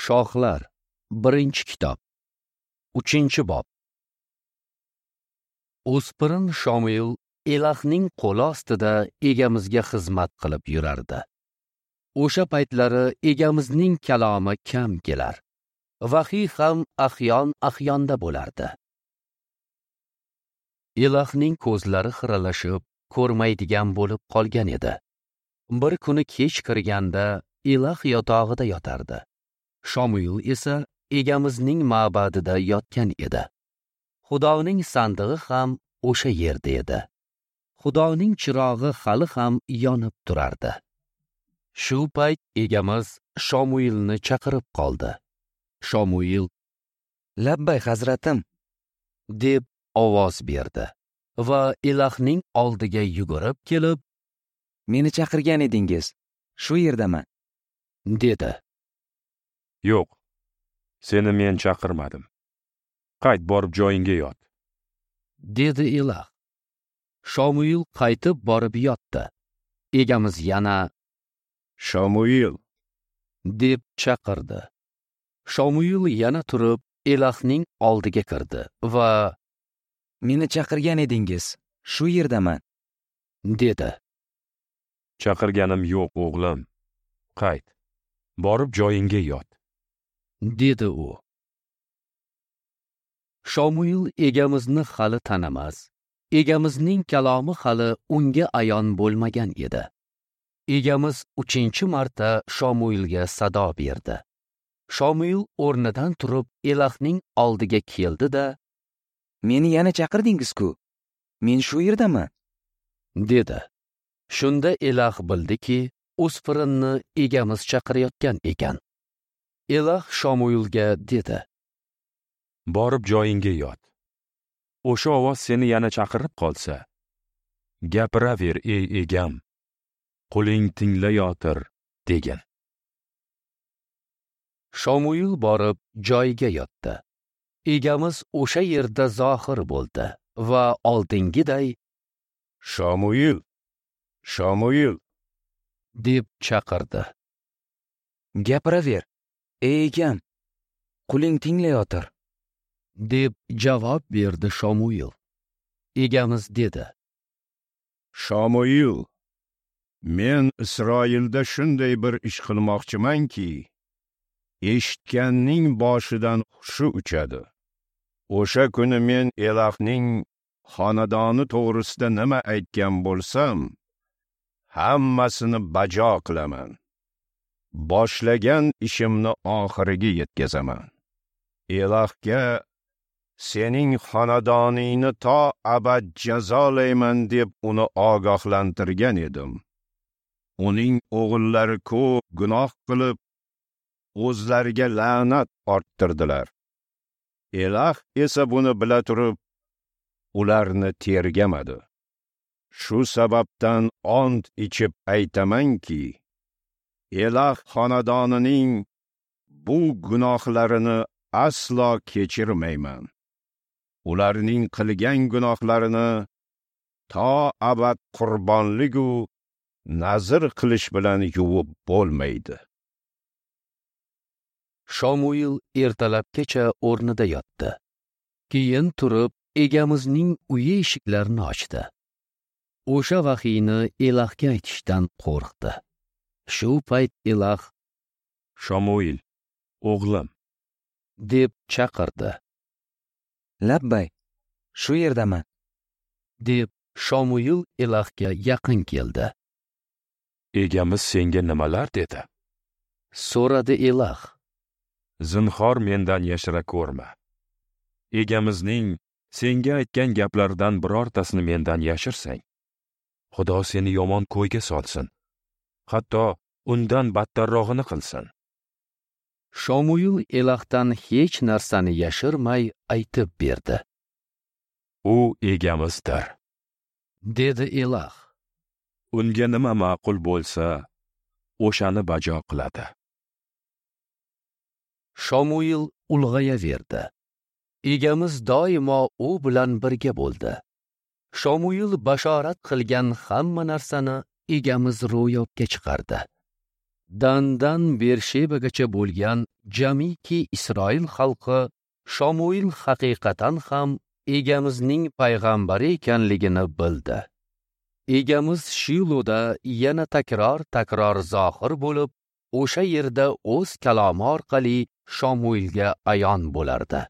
Shohlar, 1-kitob, 3-bob. O'spirin Shomuil Elahning qo'li ostida egamizga xizmat qilib yurardi. O'sha paytlari egamizning kalomi kam kelar. Vahiy ham ahyon-ahyonda bo'lardi. Elahning ko'zlari xiralashib, ko'rmaydigan bo'lib qolgan edi. Bir kuni kech kirganda Elah yotog'ida yotardi. Shomuil esa egamizning ma'badida yotgan edi. Xudoning sandig'i ham o'sha yerda edi. Xudoning chirog'i hali ham yonib turardi. Shu payt egamiz Shomuilni chaqirib qoldi. Shomuil: "Labbay, hazratim", deb ovoz berdi va Elahning oldiga yugurib kelib, "Meni chaqirgan edingiz, shu yerdaman", dedi. "Yo'q, seni men chaqirmadim. Qayt borib joyingga yot", dedi Elah. Shomuil qaytib borib yotdi. Egamiz yana "Shomuil", deb chaqirdi. Shomuil yana turib Elahning oldiga kirdi va "Meni chaqirgan edingiz, shu yerdaman", dedi. "Chaqirganim yo'q, o'g'lim. Qayt, borib joyingga yot", dedi u. Shomuil egamizni hali tanimas, egamizning kalomi hali unga ayon bo'lmagan edi. Egamiz 3-marta Shomuilga sado berdi. Shomuil o'rnidan turib Elahning oldiga keldi-da, "Meni yana chaqirdingiz-ku, men shu yerdaman", dedi. Shunda Elah bildiki, o'spirinni egamiz chaqirayotgan ekan. Elah Shomuilga dedi: "Borib joyingga yot. O'sha ovoz seni yana chaqirib qolsa, gapiraver, ey egam, qo'ling tinglayotir", degin. Shomuil borib joyiga yotdi. Egamiz o'sha yerda zohir bo'ldi va oldingiday "Shomuil, Shomuil", deb chaqirdi. "Gapiraver, ey egam, quling tinglayotir", deb javob berdi Shomuil. Egamiz dedi: "Shomuil, men Isroilda shunday bir ish qilmoqchimanki, eshitganning boshidan hushi uchadi. O'sha kuni men Elahning xonadoni to'g'risida nima aytgan bo'lsam, hammasini bajo qilaman. Boshlagan ishimni oxiriga yetkazaman. Elahga sening xonadoningni to abad jazolayman deb uni ogohlantirgan edim. Uning o'g'illari ko'p gunoh qilib, o'zlariga la'nat orttirdilar. Elah esa buni bila turib, ularni tergamadi. Shu sababdan ont ichib aytamanki, Elah xonadonining bu gunohlarini aslo kechirmayman. Ularning qilgan gunohlarini to abad qurbonlik-u nazr qilish bilan yuvib bo'lmaydi." Shomuil ertalabgacha o'rnida yotdi. Keyin turib egamizning uyi eshiklarini ochdi. O'sha vahiyni Elahga aytishdan qo'rqdi. Shu payt Elah: "Shomuil, o'g'lim", deb chaqirdi. "Labbay, shu yerdaman", deb Shomuil Elahga yaqin keldi. "Egamiz senga nimalar dedi?" so'radi Elah. "Zinhor mendan yashira ko'rma. Egamizning senga aytgan gaplaridan birortasini mendan yashirsang, Xudo seni yomon ko'yga solsin, hatto undan battarrog'ini qilsin." Shomuil Elahdan hech narsani yashirmay aytib berdi. "U egamizdir", dedi Elah. "Unga nima ma'qul bo'lsa, o'shani bajo qiladi." Shomuil ulg'ayaverdi. Egamiz doimo u bilan birga bo'ldi. Shomuil bashorat qilgan hamma narsani egamiz ro'yobga chiqardi. Dandan Bershebagacha bo'lgan jamiki Isroil xalqi Shomuil haqiqatan ham Egamizning payg'ambari ekanligini bildi. Egamiz Shiloda yana takror-takror zohir bo'lib, o'sha yerda o'z kalomi orqali Shomuilga ayon bo'lardi.